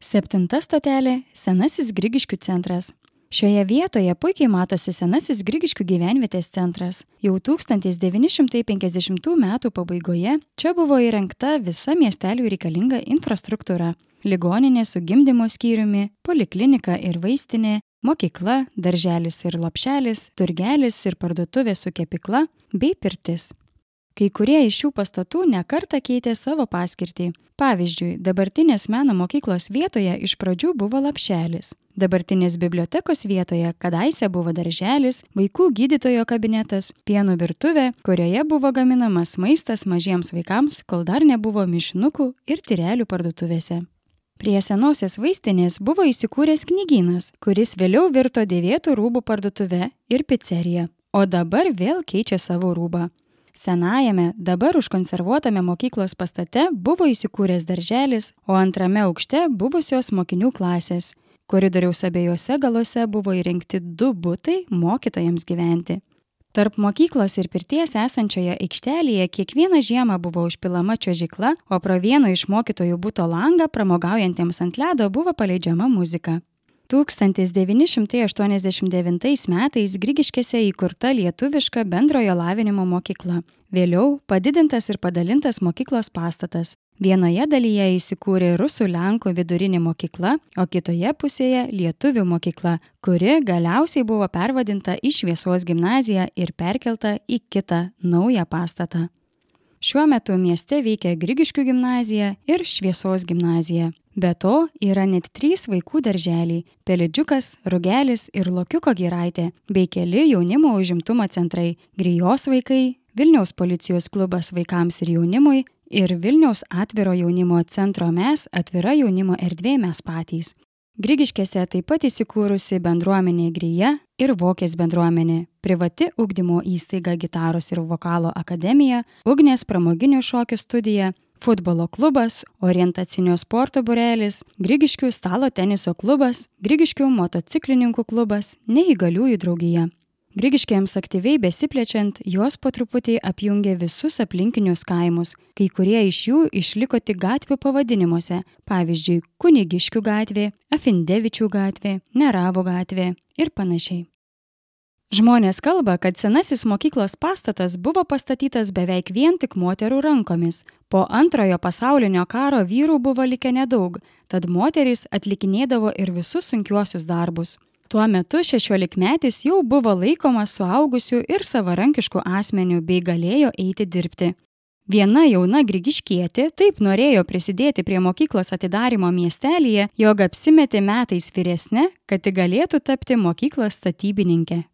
7 stotelė – Senasis Grigiškių centras. Šioje vietoje puikiai matosi Senasis Grigiškių gyvenvietės centras. Jau 1950 metų pabaigoje čia buvo įrengta visa miesteliui reikalinga infrastruktūra. Ligoninė su gimdymo skyriumi, poliklinika ir vaistinė, mokykla, darželis ir lopšelis, turgelis ir parduotuvė su kepykla bei pirtis. Kai kurie iš šių pastatų nekartą keitė savo paskirtį. Pavyzdžiui, dabartinės meno mokyklos vietoje iš pradžių buvo lopšelis. Dabartinės bibliotekos vietoje kadaise buvo darželis, vaikų gydytojo kabinetas, pieno virtuvė, kurioje buvo gaminamas maistas mažiems vaikams, kol dar nebuvo mišinukų ir tyrelių parduotuvėse. Prie senosios vaistinės buvo įsikūręs knygynas, kuris vėliau virto dėvėtų rūbų parduotuve ir picerija, o dabar vėl keičia savo rūbą. Senajame, dabar užkonservuotame mokyklos pastate buvo įsikūręs darželis, o antrame aukšte buvusios mokinių klasės. Koridoriaus abiejose galuose buvo įrengti 2 butai mokytojams gyventi. Tarp mokyklos ir pirties esančioje aikštelėje kiekvieną žiemą buvo užpilama čiuožykla, o pro vieno iš mokytojų buto langą pramogaujantiems ant ledo buvo paleidžiama muzika. 1989 metais Grigiškėse įkurta lietuviška bendrojo lavinimo mokykla. Vėliau padidintas ir padalintas mokyklos pastatas. Vienoje dalyje įsikūrė rusų lenkų vidurinė mokykla, o kitoje pusėje lietuvių mokykla, kuri galiausiai buvo pervadinta į Šviesos gimnaziją ir perkelta į kitą naują pastatą. Šiuo metu mieste veikia Grigiškių gimnazija ir Šviesos gimnazija. Be to yra net 3 vaikų darželiai – Pelidžiukas, Rugelis ir Lokiuko giraitė, bei keli jaunimo užimtumo centrai – Grijos vaikai, Vilniaus policijos klubas vaikams ir jaunimui ir Vilniaus atviro jaunimo centro Mes atvira jaunimo erdvė Mes patys. Grigiškėse taip pat įsikūrusi bendruomenė Grija ir Vokės bendruomenė, privati ugdymo įstaiga Gitaros ir vokalo akademija, Ugnės pramoginių šokių studija, futbolo klubas, orientacinio sporto būrelis, Grigiškių stalo teniso klubas, Grigiškių motociklininkų klubas, neįgaliųjų draugija. Grigiškėms aktyviai besiplečiant, jos po truputį apjungė visus aplinkinius kaimus, kai kurie iš jų išliko tik gatvių pavadinimuose, pavyzdžiui, Kunigiškių gatvė, Afindevičių gatvė, Neravo gatvė ir panašiai. Žmonės kalba, kad senasis mokyklos pastatas buvo pastatytas beveik vien tik moterų rankomis. Po Antrojo pasaulinio karo vyrų buvo likę nedaug, tad moterys atlikinėdavo ir visus sunkiuosius darbus. Tuo metu 16-metis jau buvo laikomas suaugusių ir savarankiškų asmenių bei galėjo eiti dirbti. Viena jauna grigiškietė taip norėjo prisidėti prie mokyklos atidarymo miestelyje, jog apsimetė metais vyresnė, kad tik galėtų tapti mokyklos statybininke.